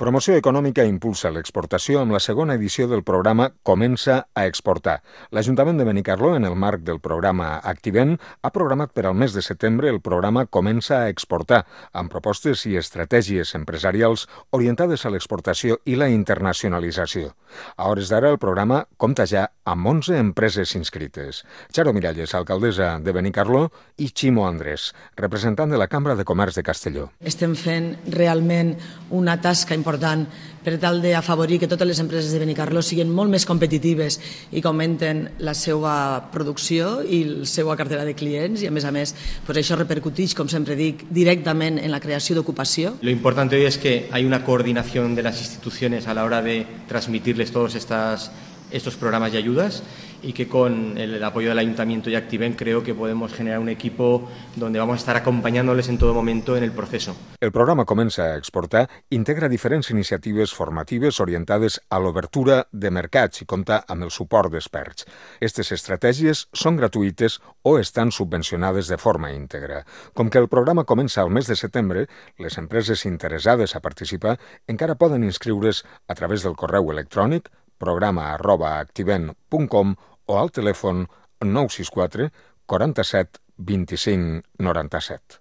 Promoció Econòmica impulsa l'exportació amb la segona edició del programa Comença a exportar. L'Ajuntament de Benicarló, en el marc del programa Activent, ha programat per al mes de setembre el programa Comença a exportar, amb propostes i estratègies empresarials orientades a l'exportació i la internacionalització. A hores d'ara, el programa compta ja amb 11 empreses inscrites. Charo Miralles, alcaldessa de Benicarló, i Ximo Andrés, representant de la Cambra de Comerç de Castelló. Estem fent realment una tasca important per tal d'afavorir que totes les empreses de Benicarló siguin molt més competitives i que augmenten la seva producció i la seva cartera de clients i, a més, això repercuteix, com sempre dic, directament en la creació d'ocupació. Lo importante hoy es que hay una coordinación de las instituciones a la hora de transmitirles todos estos programas y ayudas, y que con el apoyo del Ayuntamiento y Activent creo que podemos generar un equipo donde vamos a estar acompañándoles en todo momento en el proceso. El programa Comença a exportar integra diferents iniciatives formatives orientades a l'obertura de mercats i compta amb el suport d'experts. Aquestes estratègies són gratuïtes o estan subvencionades de forma íntegra. Com que el programa comença al mes de setembre, les empreses interessades a participar encara poden inscriure's a través del correu electrònic programa@activent.com o al telèfon 964 47 25 97.